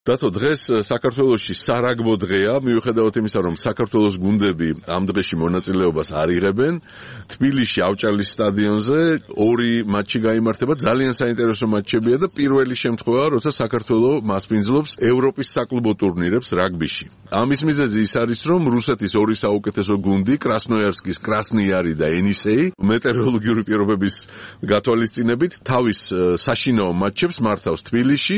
დათო, დღეს საქართველოში სარაგბო დღეა, მიუხედავად იმისა, რომ საქართველოს გუნდები ამ დღეში მონაწილეობას არ იღებენ. თბილისში ავჭალის სტადიონზე 2 მატჩი გაიმართება, ძალიან საინტერესო მატჩებია და პირველი შემთხვევაა, როცა საქართველო მასპინძლობს ევროპის საკლუბო ტურნირებს რაგბიში. ამის მიზეზი ის არის, რომ რუსეთის 2 საუკეთესო გუნდი, კრასნოიარსკის კრასნიარი და ენისეი, მეტეოროლოგიური პირობების გათვალისწინებით თავის საშინაო მატჩებს მართავს თბილისში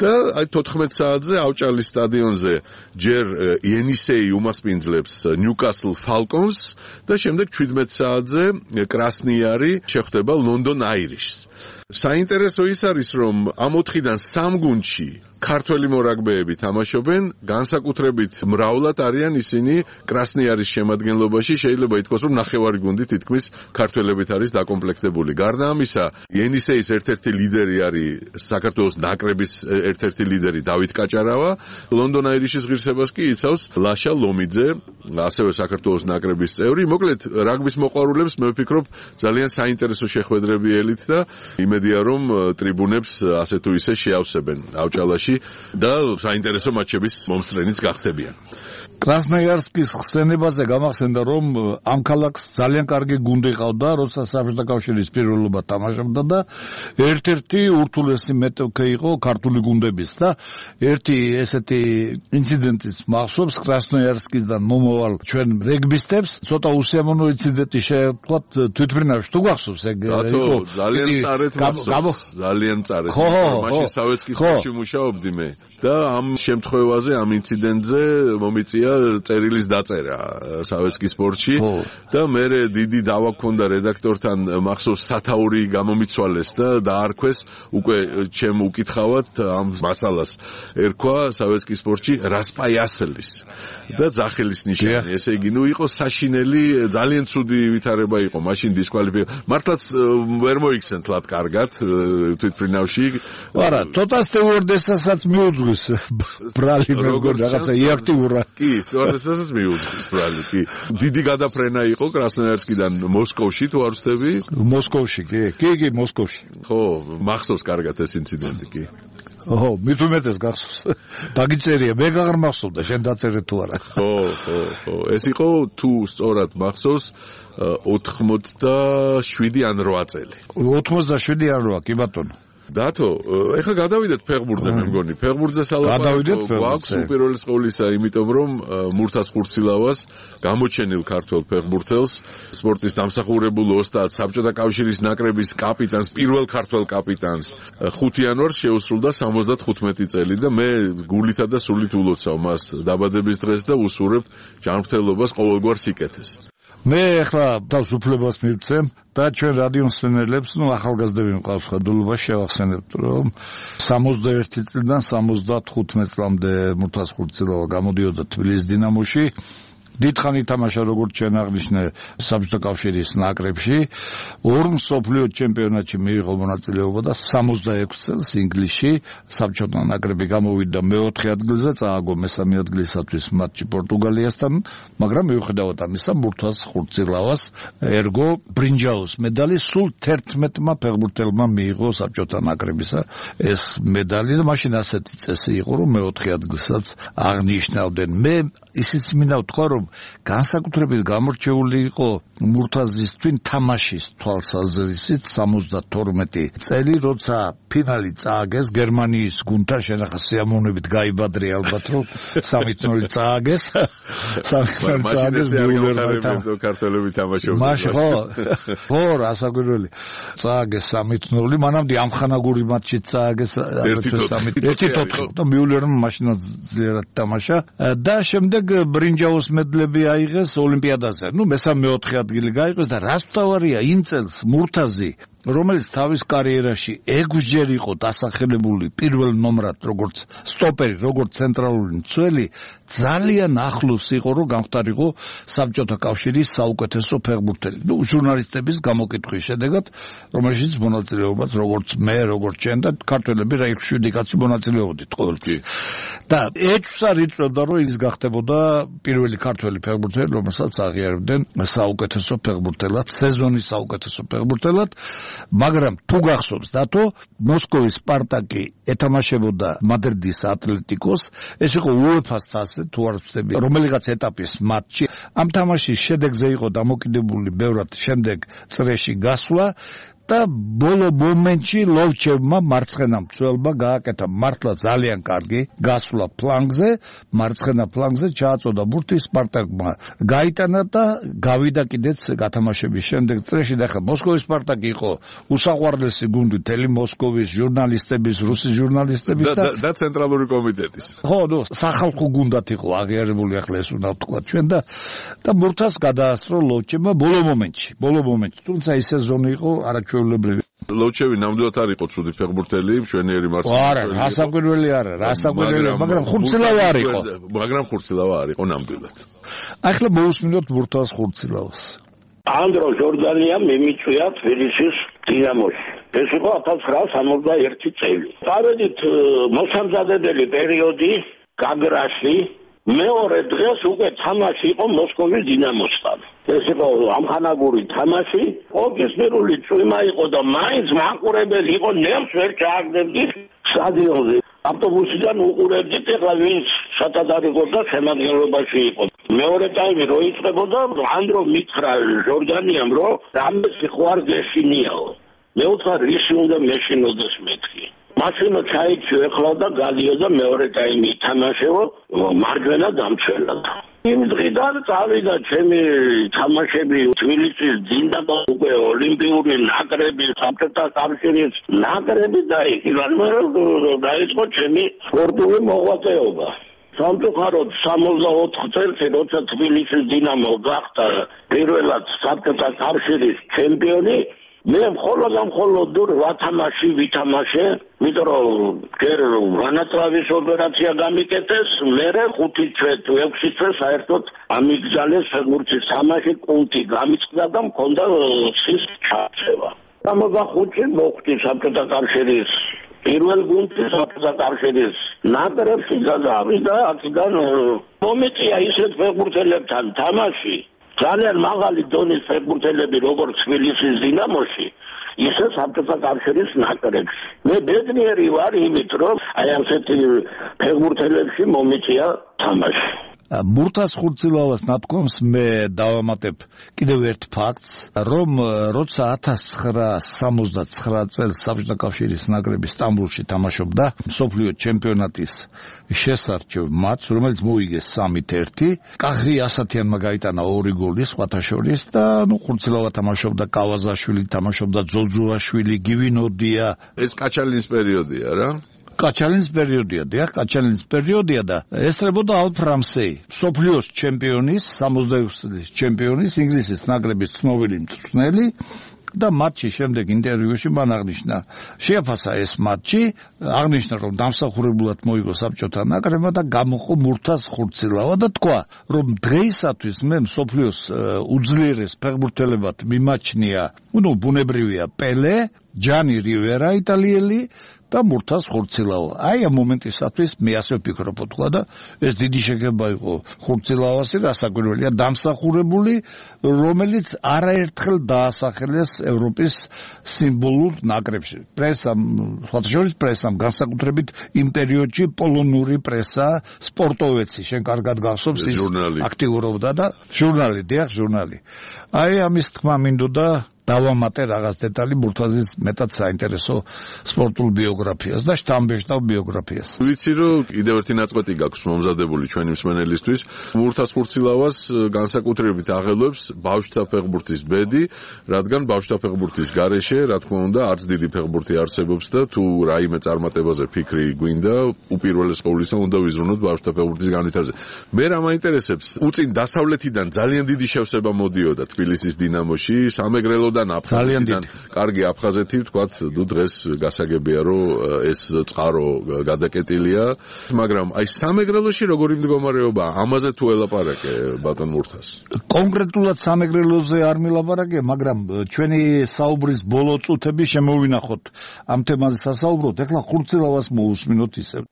და 14 საათზე ავჭალის სტადიონზე ჯერ ენისეი უმასპინძლებს ნიუკასლ ფალკონს და შემდეგ 17 საათზე კრასნიარი შეხვდება ლონდონ აირიშს. საინტერესო ის არის, რომ ამ 4-დან 3 გუნდში ქართველი მორაგბეები თამაშობენ, განსაკუთრებით მრავლად არიან ისინი კრასნიარის შემადგენლობაში, შეიძლება ითქვას, რომ ნახევარი გუნდი თითქმის ქართველებით არის დაკომპლექტებული. გარდა ამისა, ენისეის ერთ-ერთი ლიდერი არის საქართველოს ნაკრების ერთ-ერთი ლიდერი დავით კაჭარავა, ლონდონ აირიშის ღირსებას კი იცავს ლაშა ლომიძე, ასევე საქართველოს ნაკრების წევრი. მოკლედ, რაგბის მოყვარულებს მე ვფიქრობ, ძალიან საინტერესო შეხვედრები ელით და იმედია, რომ ტრიბუნებს ასე თუ ისე შეავსებენ ავჭალაში და საინტერესო მატჩების მომსწრენიც გახდებიან. კრასნოიარსკის ხსენებაზე გამახსენდა, რომ ამ ქალაქს ძალიან კარგი გუნდი ყავდა, როცა საბჭოთა კავშირის პირველობა თამაშობდა და ერთ-ერთი ურთულესი მეტოქე იყო ქართული გუნდების და ერთი ესეთი ინციდენტის მახსოვს კრასნოიარსკისგან მომავალ ჩვენ რეგბისტებს, ცოტა უსიამოვნო ინციდენტი შევთქვათ თვითმფრინავში. თუ გახსოვს ეგ იყო ძალიან წარეთ მახსოვს. ძალიან წარეთ. მაშინ სავეცკის სპორტში მუშაობდი მე და ამ შემთხვევაზე, ამ ინციდენტზე მომიწია წერილის დაწერა სავეცკის სპორტში და მე დიდი დავა გქონდა რედაქტორთან მახსოვს სათაური გამომიცვალეს და დაარქვეს უკვე ჩემ უკითხავად ამ მასალას ერქვა სავეცკის სპორტში რასპაიასლის და ძახელის ნიშანი. ესე იგი, იყო საშინელი, ძალიან ცუდი ვითარება იყო მაშინ დისკვალიფიკაცია. მართლაც ვერ მოიქცენ თლად კარგად თვითმფრინავში. არა, ცოტა სტევორდესასაც მიუძღვის ბრალი მეგონა რაღაცა იაქტიურა. კი, სტევორდესასაც მიუძღვის ბრალი, კი. დიდი გადაფრენა იყო კრასნოიარსკიდან მოსკოვში, თუ არ ვცდები? მოსკოვში, კი, მოსკოვში. ხო, მახსოვს კარგად ეს ინციდენტი, კი. ოჰო, მით უმეტეს გახსოვს. დაგიწერია, მე აღარ მახსოვდა, შენ დაწერე თუ არა. ხო. ეს იყო თუ სწორად მახსოვს 87 ან 8 წელი. 87 ან 8, კი ბატონო. დათო, ეხლა გადავიდეთ ფეხბურთზე, მე მგონი. ფეხბურთზე სალაპარაკო გვაქვს უპირველეს ყოვლისა, იმიტომ რომ მურთას ხურცილავას გამოჩენილ ქართველ ფეხბურთელს, სპორტის დამსახურებულ ოსტატს, საბჭოთა კავშირის ნაკრების კაპიტანს, პირველ ქართველ კაპიტანს 5 იანვარს შეუსრულდა 75 წელი და მე გულითა და სულით ულოცავ მას დაბადების დღეს და ვუსურებ ჯანმრთელობას ყოველგვარ სიკეთეს. მე ახლა თავს უფლებას მივცემ და ჩვენ რადიო მსმენელებს, ახალგაზრდები მყავს ხედულობა შევახსენებთ, რომ 61 წლიდან 75 წლამდე მურთას ხურცილავა გამოდიოდა თბილისის დინამოში. დიდხანი თამაშა, როგორც ჩვენ აღნიშნე, საბჭოთა კავშირის ნაკრებში, 2 მსოფლიო ჩემპიონატში მიიღო მონაწილეობა და 66 წელს ინგლისში საბჭოთა ნაკრები გამოვიდა მე-4 ადგილზე, წააგო მე-3 ადგილისათვის მატჩი პორტუგალიასთან, მაგრამ მიუხედავად ამისა, მურთას ხურცილავას ერგო ბრინჯაოს მედალი სულ 11-მა ფეხბურთელმა მიიღო საბჭოთა ნაკრებისა ეს მედალი და მაშინ ასეთი წესი იყო, რომ მე-4 ადგილსაც აღნიშნავდნენ. მე ისიც მინდა ვთქვა, რომ განსაკუთრებით გამორჩეული იყო მურთაზის თვინ თამაშის თვალსაზრისით 72 წელი, როცა ფინალი წააგეს გერმანიის გუნდთან, შენახა სიამოვნებით გაიბადრე ალბათ, რომ 3-0 წააგეს. 3-0 წააგეს მიულერმა ქართველები თამაშობდნენ. მაშინ ხო, რასაკვირველი. წააგეს 3-0, მანამდე ამხანაგური მატჩი წააგეს 1-4 და მიულერმა მაშინაც ძლიერად თამაშა და შემდეგ ბრინჯაოს მედლები აიღეს ოლიმპიადაზე. მე-3-4 ადგილი გაიღეს და რაც თავარია იმ წელს მურთაზი, რომელიც თავის კარიერაში 6-ჯერ იყო დასახელებული პირველ ნომრად, როგორც სტოპერი, როგორც ცენტრალური მცველი, ძალიან ახლოს იყო, რომ გამختارიყო საბჭოთა კავშირის საუკეთესო ფეხბურთელი. ჟურნალისტების გამოკითხვის შედეგად, რომელშიც მონაწილეობაც როგორც მე, როგორც ჩვენ და ქართველები რა 7 კაცი მონაწილეობდით ყოველთვის. და ეჭვს არ იწვევდა, რომ ის გახდებოდა პირველი ქართველი ფეხბურთელი, რომელსაც აღიარებდნენ საუკეთესო ფეხბურთელად, სეზონის საუკეთესო ფეხბურთელად, მაგრამ თუ გახსოვს დათო, მოსკოვის სპარტაკი ეთამაშებოდა მადრიდის ატლეტიკოს, ეს იყო UEFA-ს თასზე, თუ არ ვცდები, რომელიღაც ეტაპის მატჩი. ამ თამაშის შედეგზე იყო დამოკიდებული ბევრად შემდეგ წრეში გასვლა და ბოლო მომენტში ლოვჩევმა მარცხენა მცველმა გააკეთა მართლა ძალიან კარგი გასვლა ფლანგზე, მარცხენა ფლანგზე ჩააწოდა ბურთი, სპარტაკმა გაიტანა და გავიდა კიდეც გათამაშების შემდეგ წრეში. და ხა მოსკოვის სპარტაკი იყო უსაყვარლესი გუნდი მთელი მოსკოვის ჟურნალისტების, რუსი ჟურნალისტების და ცენტრალური კომიტეტის. ხო, სახალხო გუნდად იყო აღიარებული, ახლა ეს უნდა ვთქვა ჩვენ და ბურთას გადაასწრო ლოვჩევმა ბოლო მომენტში. თუმცა ის სეზონი იყო არაჩვეულებრივი. ლოვჩევი ნამდვილად არ იყო ცუდი ფეხბურთელი, მშვენიერი მარცხენა. არა, რასაკვირველი არა, მაგრამ ხურცილავა არ იყო. არ იყო ნამდვილად. ახლა მოусმინოთ ბურთას ხურცილავას. ანდრო ჟორდანია მიმიწვია თბილისის დინამოში. ეს იყო 1961 წელი. წავედით მოსამზადებელი პერიოდი გაგრაში, მეორე დღეს უკვე თამაში იყო მოსკოვის დინამოსთან. ეს იყო ამხანაგური თამაში, ოფიციალური წვიმა იყო და მაინც მაყურებელი იყო, ნემს ვერ ჩააგდებდი სტადიონზე. ავტობუსიდან უყურებდით, ეხლა ვინც სათადარიგოდა შემადგენლობაში იყო. მეორე ტაიმი რო იწყებოდა, ანდრო მითხრა ჟორდანიამ, რომ რამე სიყვარ გეშინიაო. მე ვთქვა, რისი უნდა მეშინოდეს მეთქი. მაშინო ჩაიქცევ ეხლა და გადიოდა მეორე ტაიმი ითამაშეო, მარჯვენა დამცველად. იმ დღიდან წავიდა ჩემი თამაშები თბილისის დინამო, უკვე ოლიმპიური ნაკრები, საბჭოთა კავშირის ნაკრები და დაიწყო ჩემი სპორტული მოღვაწეობა. სამწუხაროდ 64 წელს, როცა თბილისის დინამო გახდა პირველად საბჭოთა კავშირის ჩემპიონი, მე მხოლოდ 8 თამაში ვითამაშე, იმიტომ რომ ჯერ განაწილების ოპერაცია გამიკეთეს, მერე 5 თვე თუ 6 თვე საერთოდ ამიგზალეს ფეხბურთის თამაში, კულტი გამიწყდა და მქონდა სის ჩაცევა. 65-ში მოხვდი საბჭოთა კავშირის პირველ გუნდში, საბჭოთა კავშირის ნაკრებში გადავიდა, აქედან მომეწია ისეთ ფეხბურთელებთან თამაში, ძალიან მაღალი დონის ფეხბურთელები, როგორც თბილისის დინამოში, ისე საბჭოთა კავშირის ნაკრებში. მე ბედნიერი ვარ იმით, რომ აი ასეთი ფეხბურთელებში მომეწია თამაში. ბურთას ხურცილავას ნათქვამს მე დავამატებ კიდევ ერთ ფაქტს, რომ როცა 1969 წელს საბჭოთა კავშირის ნაკრები სტამბოლში თამაშობდა მსოფლიო ჩემპიონატის შესარჩევ მატჩს, რომელიც მოიგეს 3-1, კახი ასათიანმა გაიტანა 2 გოლი სხვათა შორის და ხურცილავა თამაშობდა, კავაზაშვილი თამაშობდა, ძოძუაშვილი, გივინოდია. ეს კაჩალინის პერიოდია რა? კაჩალინის პერიოდია და ესწრებოდა ალფ რამსეი, მსოფლიოს ჩემპიონის, 66 წლის ჩემპიონის, ინგლისის ნაკრების ცნობილი მწვრთნელი და მატჩის შემდეგ ინტერვიუში მან აღნიშნა, შეაფასა ეს მატჩი, აღნიშნა, რომ დამსახურებულად მოიგო საბჭოთა ნაკრებმა და გამოყო ბურთას ხურცილავა და თქვა, რომ დღეისათვის მე მსოფლიოს უძლიერეს ფეხბურთელებად მიმაჩნია, ბუნებრივია პელე, ჯანი რივერა იტალიელი და ბურთას ხურცილავა. აი ამ მომენტისათვის მე ასე ვფიქრობ, თქვა და ეს დიდი შეგება იყო ხურცილავასი, რასაკვირველია, დამსახურებული, რომელიც არაერთხელ დაასახელეს ევროპის სიმბოლურ ნაკრებში. პრესამ, სხვათა შორის პრესამ, განსაკუთრებით იმ პერიოდში პოლონური პრესა, სპორტოვეცი, შენ კარგად გახსოვს, ის აქტიურობდა და ჟურნალი. აი ამის თქმა მინდოდა დავამატე რაღაც დეტალი ბურთაზის მეტად საინტერესო სპორტულ ბიოგრაფიას და შთამბეჭდავ ბიოგრაფიას. ვიცი რომ კიდევ ერთი ნაწყვეტი გაქვს მომზადებული ჩვენი მსმენელისთვის. ბურთას ხურცილავას განსაკუთრებით აღელვებს ბავშვთა ფეხბურთის ბედი, რადგან ბავშვთა ფეხბურთის გარეშე, რა თქმა უნდა, არც დიდი ფეხბურთი არსებობს და თუ რაიმე წარმატებაზე ფიქრი გვინდა, უპირველეს ყოვლისა უნდა ვიზრუნოთ ბავშვთა ფეხბურთის განვითარებაზე. მე რა მაინტერესებს, უწინ დასავლეთიდან ძალიან დიდი შევსება მოდიოდა თბილისის დინამოში, სამეგრელო ძალიან კარგი აფხაზეთი, ვთქვათ, დღეს გასაგებია, რომ ეს წყარო გადაკეტილია, მაგრამ აი სამეგრელოში როგორი მდგომარეობა, ამაზე თუ ელაპარაკე ბატონ მურთას? კონკრეტულად სამეგრელოზე არ მილაპარაკე, მაგრამ ჩვენი საუბრის ბოლო წუთები შემოვინახოთ ამ თემაზე სასაუბროთ, ეხლა ხურცილავას მოусმინოთ ისევ.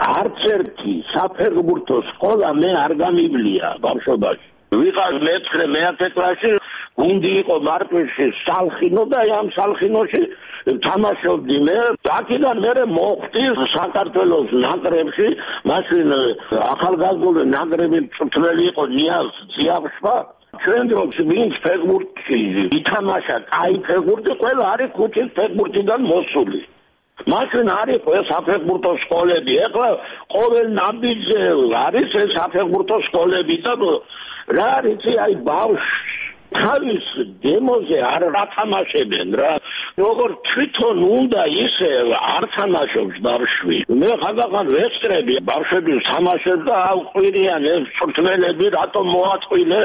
არც ერთი საფეხბურთო სკოლა მე არ გამიბლია ბავშვობაში. ვიყავ მეცხრე მეათე კლასში გუნდი იყო მარტვილში სალხინო და ამ სალხინოში თამაშობდი მე. აქედან მე მოხვდი საქართველოს ნაკრებში, მაშინ ახალგაზრდული ნაკრები მწვრთნელი იყო ნიაზ ძიავშვა. ჩვენ დროს ვინც ფეხბურთში ითამაშა კაი ფეხბურთი, ყველა არის ქუჩის ფეხბურთიდან მოსული. მაშინ არის ეს საფეხბურთო სკოლები. ეხლა ყოველ ნაბიჯზე არის ეს საფეხბურთო სკოლები და რა არის აი ბავშვი თავის დემოზე არ ათამაშებენ რა. როგორ თვითონ უნდა ისე არ თამაშობს ბავშვი. მე ხანდახან ვესწრები ბავშვების თამაშებს და აუყვირიან ეს მწვრთნელები რატომ მოაწყვილე,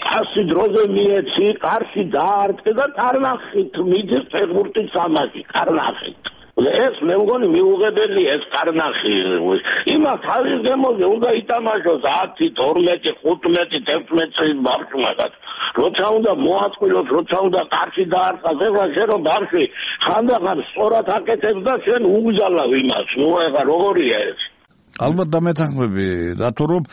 კასი დროზე მიეცი, კარში დაარტყე და კარნახით მიდის ფეხბურთის თამაში, კარნახით. ეს მე მგონი მიუღებელი ეს კარნახი. იმას თავის დემოზე უნდა ითამაშოს 10, 12, 15, 16 წლის ბავშვმა. როცა უნდა მოაწყვილოს, როცა უნდა კარში დაარტყას, ეხლა შენ რომ ბავშვი ხანდახან სწორად აკეთებს და შენ უგზალავ იმას. ნუ ეხლა როგორია ეს? ალბათ დამეთანხმები, რატო რომ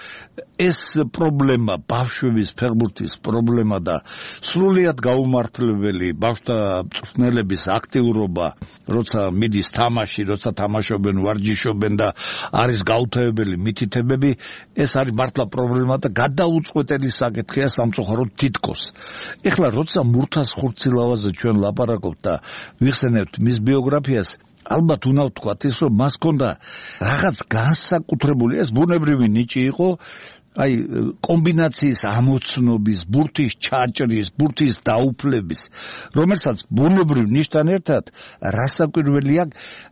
ეს პრობლემა, ბავშვების ფეხბურთის პრობლემა და სრულიად გაუმართლებელი ბავშვთა მწვრთნელების აქტიურობა, როცა მიდის თამაში, როცა თამაშობენ, ვარჯიშობენ და არის გაუთავებელი მითითებები, ეს არის მართლა პრობლემა და გადაუწყვეტელი საკითხია სამწუხაროდ თითქოს. ეხლა როცა მურთას ხურცილავაზე ჩვენ ლაპარაკობთ და ვიხსენებთ მის ბიოგრაფიას, ალბათ უნდა ვთქვათ ის, რომ მას ჰქონდა რაღაც განსაკუთრებული, ეს ბუნებრივი ნიჭი იყო, აი კომბინაციის ამოცნობის, ბურთის ჩაჭრის, ბურთის დაუფლების, რომელსაც ბუნებრივ ნიშთან ერთად რასაკვირველია,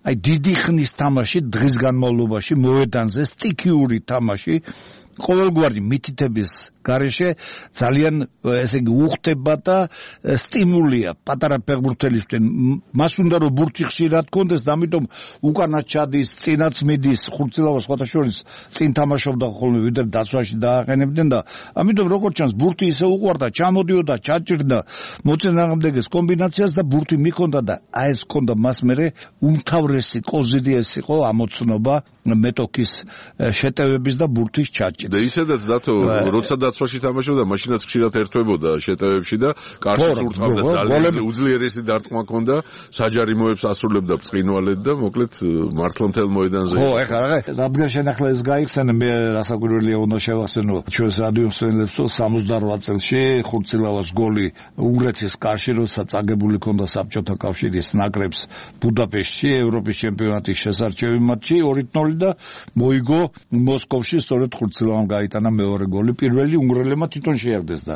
აი დიდი ხნის თამაში დღის განმავლობაში მოედანზე სტიქიური თამაში ყოველგვარი მითითების გარეშე ძალიან ესე იგი უხდება და სტიმულია პატარა ფეხბურთელისთვის. მას უნდა რომ ბურთი ხშირად კონდეს და ამიტომ უკანაც ჩადის, წინაც მიდის, ხურცილავა სხვათა შორის წინ თამაშობდა ხოლმე ვიდრე დაცვაში დააყენებდნენ და ამიტომ როგორც ჩანს ბურთი ისე უყვარდა, ჩამოდიოდა, ჩაჭირდა მოწინააღმდეგეს კომბინაციას და ბურთი მიქონდა და აი ეს ჰქონდა მას მერე უმთავრესი კოზიდიეს იყო ამოცნობა მეტოქის შეტევების და ბურთის ჩაჭრის. და ისედაც დათო როცა დაცვაში თამაშობდა, მაშინაც ხშირად ერთვებოდა შეტევებში და კარში წურთავდა ძალიან უძლიერესი დარტყმა ჰქონდა, საჯარიმოებს ასრულებდა ბრწყინვალედ და მოკლედ მართლა მთელ მოედანზე. ხო, ეხლა რადგან შენახლა ეს გაიხსენე, მე რასაკვირველია უნდა შევახსენო ჩვენს რადიო მსმენელებს, 68 წელში ხურცილავას გოლი უნგრეთის კარში, როცა წაგებული ჰქონდა საბჭოთა კავშირის ნაკრებს ბუდაპეშტში ევროპის ჩემპიონატის შესარჩევი მატჩი 2-0 და მოიგო მოსკოვში, სწორედ ხურცილავამ გაიტანა მეორე გოლი. პირველი უნგრელებმა თვითონ შეაგდეს და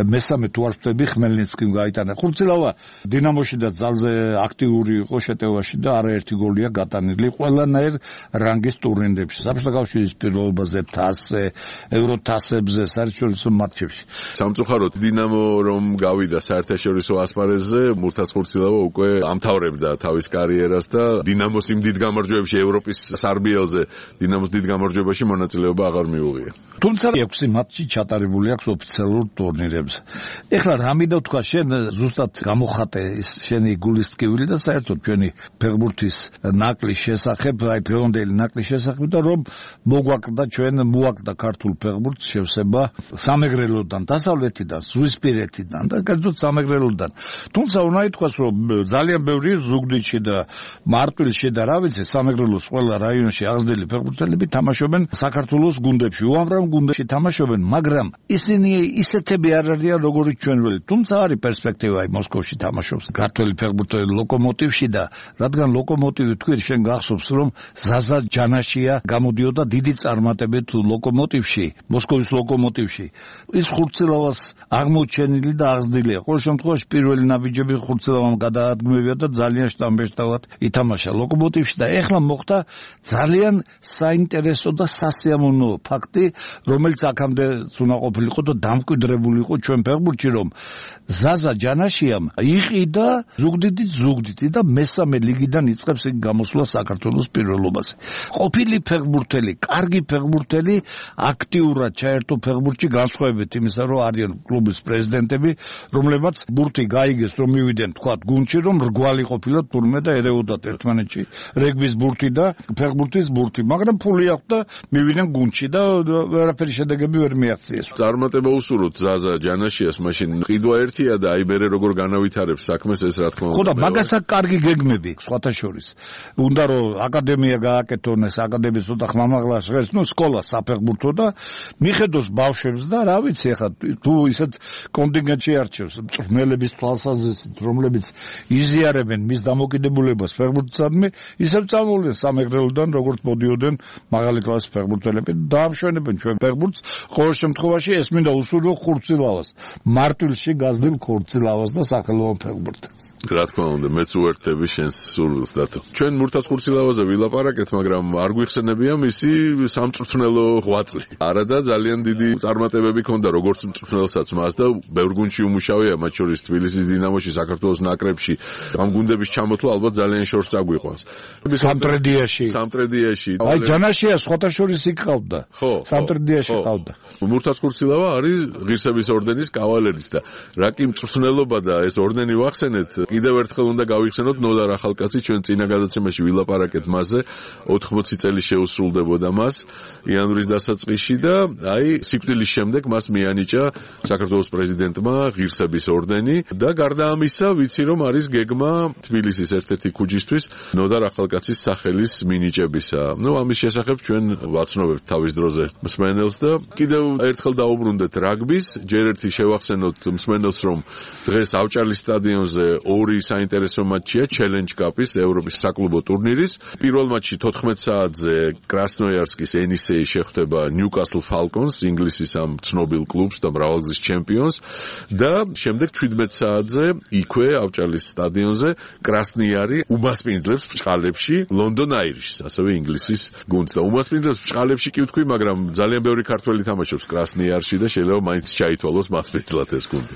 მესამე თუ არ ვთქვი ხმელნიცკიმ გაიტანა. ხურცილავა დინამოში და ძალზე აქტიური იყო შეტევაში და არაერთი გოლია გატანილი ყველანაირ რანგის ტურნირებში. საბჭოთა კავშირის პირველობაზე, თასზე, ევროთასებზე, საერთაშორისო მატჩებში. სამწუხაროდ დინამო რომ გავიდა საერთაშორისო ასპარეზზე, მურთას ხურცილავა უკვე ამთავრებდა თავის კარიერას და დინამოს იმ დიდ გამარჯვებებში ევროპის სარბიელზე, დინამოს დიდ გამარჯვებაში მონაწილეობა აღარ მიუღია. თუმცა 6 მატჩი ჩატარებული აქვს ოფიციალურ ტურნირებზე. ეხლა რა მინდა ვთქვა, შენ ზუსტად გამოხატე ის შენი გულისტკივილი და საერთოდ ჩვენი ფეხბურთის ნაკლის შესახებ, აი დღევანდელი ნაკლის შესახებ და რომ მოგვაკლდა ქართულ ფეხბურთს შევსება სამეგრელოდან, დასავლეთიდან, ზღვისპირეთიდან და კერძოდ სამეგრელოდან. თუმცა უნდა ითქვას, რომ ძალიან ბევრი ზუგდიდში და მარტვილში და რა ვიცი, სამეგრელოს ყველა რაიონში აღზრდილი ფეხბურთელები თამაშობენ საქართველოს გუნდებში, უამრავ გუნდებში თამაშობენ, მაგრამ ისინი ისეთები არ არიან როგორც ჩვენველი. თუმცა არის პერსპექტივა მოსკოვში თამაშობს ქართველი ფეხბურთელი ლოკომოტივში და რადგან ლოკომოტივი თქვი, შენ გახსოვს რომ ზაზა ჯანაშია გამოდიოდა დიდი წარმატებით ლოკომოტივში, მოსკოვის ლოკომოტივში. ის ხურცილავას აღმოჩენილი და აღზრდილია. ყოველ შემთხვევაში პირველი ნაბიჯები ხურცილავამ გადაადგმევია და ძალიან შტამბეშტავად ითამაშა ლოკომოტივში და ეხლა მოხდა ძალიან საინტერესო და სასიამოვნო ფაქტი ფაქტი, რომელიც აქამდე უნდა ყოფილიყო და დამკვიდრებული იყო ჩვენ ფეხბურთში, რომ ზაზა ჯანაშიამ იყიდა ზუგდიდი და მესამე ლიგიდან იწყებს იქ გამოსვლა საქართველოს პირველობაზე. ყოფილი ფეხბურთელი, კარგი ფეხბურთელი, აქტიურად ჩაერთო ფეხბურთში განსხვავებით იმისა, რომ არიან კლუბის პრეზიდენტები, რომლებმაც ბურთი გაიგეს, რომ მივიდნენ თქვათ გუნდში, რომ რგვალი ყოფილად თურმე და ერეოდათ ერთმანეთში რეგბის ბურთი და ფეხბურთის ბურთი, მაგრამ ფული აქვს და მივიდნენ გუნდში და ვერაფერი შედეგები ვერ მიაღწიეს. წარმატება უსურვოთ ზაზა ჯანაშიას, მაშინ ყიდვა ერთია და აი მერე როგორ განავითარებს საქმეს ეს რა თქმა უნდა. ხო და მაგასაც კარგი გეგმები სხვათა შორის. უნდა რომ აკადემია გააკეთონ, ეს აკადემიის ცოტა ხმამაღლა ჟღერს, სკოლა საფეხბურთო და მიხედოს ბავშვებს და რა ვიცი ახლა თუ ისეთ კონტინგენტში არჩევს მწვრთნელების თვალსაზრისით, რომლებიც იზიარებენ მის დამოკიდებულებას ფეხბურთსადმი, ისევ წამოვლენ სამეგრელოდან როგორც მოდიოდნენ მაღალი კლასის ფეხბურთელები და დაამშვენებენ ჩვენ ფეხბურთს. ყოველ შემთხვევაში ეს მინდა უსურვო ხურცილავას, მარტვილში გაზრდილ ხურცილავას და სახელოვან ფეხბურთელს. რა თქმა უნდა, მეც უერთდები შენს სურვილს დათო. ჩვენ მურთას ხურცილავაზე ვილაპარაკეთ, მაგრამ არ გვიხსენებია მისი სამწვრთნელო ღვაწლი. არა და ძალიან დიდი წარმატებები ჰქონდა როგორც მწვრთნელსაც მას და ბევრ გუნდში უმუშავია, მათ შორის თბილისის დინამოში, საქართველოს ნაკრებში. ამ გუნდების ჩამოთვლა ალბათ ძალიან შორს წაგვიყვანს. სამტრედიაში. აი ჯანაშია სხვათა შორის იქ ყავდა. ხო, სამტრედიაში ყავდა. მურთას ხურცილავა არის ღირსების ორდენის კავალერის და რა კი მწვრთნელობა და ეს ორდენი ვახსენეთ, კიდევ ერთხელ უნდა გავიხსენოთ ნოდარ ახალკაცი, ჩვენ წინა გადაცემაში ვილაპარაკეთ მასზე, 80 წელი შეუსრულდებოდა მას იანვრის დასაწყისში და აი სიკვდილის შემდეგ მას მიანიჭა საქართველოს პრეზიდენტმა ღირსების ორდენი და გარდა ამისა ვიცი რომ არის გეგმა თბილისის ერთ-ერთი ქუჯისთვის ნოდარ ახალკაცის სახელის მინიჭებისა. ამის შესახებ ჩვენ ვაცნობებთ თავის დროზე მსმენელს და კიდევ ერთხელ დაუბრუნდეთ რაგბის, ჯერ ერთი შევახსენოთ მსმენელს რომ დღეს ავჭალის სტადიონზე ორი საინტერესო მატჩია Challenge Cup-ის ევროპის საკლუბო ტურნირის. პირველ მატჩში 14 საათზე კრასნოიარსკის ენისეი შეხვდება Newcastle Falcons, ინგლისის ამ ცნობილ კლუბს და მრავალგზის ჩემპიონს და შემდეგ 17 საათზე იქვე ავჭალის სტადიონზე კრასნიარი უმასპინძლებს ბჭყალებში London Irish-ს, ასევე ინგლისის გუნდს და უმასპინძლებს ბჭყალებში კი ვთქვი, მაგრამ ძალიან ბევრი ქართველი თამაშობს კრასნიარში და შეიძლება მაინც ჩაითვალოს მასპინძლად ეს გუნდი.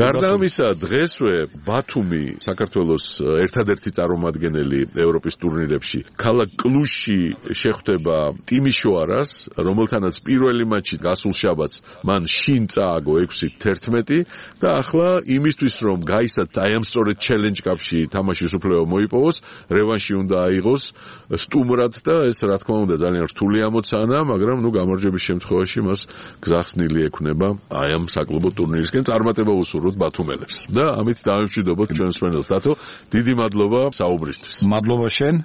გარდა ამისა, დღესვე ბათუმი საქართველოს ერთადერთი წარმომადგენელი ევროპის ტურნირებში ქალაქ კლუშში შეხვდება ტიმიშოარას, რომელთანაც პირველი მატჩი გასულ შაბათს მან შინ წააგო 6-11 და ახლა იმისთვის რომ გაისად აი ამ სწორედ Challenge Cup-ში თამაშის უფლება მოიპოვოს, რევანში უნდა აიღოს სტუმრად და ეს რა თქმა უნდა ძალიან რთული ამოცანა, მაგრამ გამარჯვების შემთხვევაში მას გზახსნილი ექნება აი ამ საკლუბო ტურნირისკენ წარმატება უსურვოთ ბათუმელებს და ამით დავემშვიდობოთ ჩვენ მსმენელს. დათო, დიდი მადლობა საუბრისთვის. მადლობა შენ.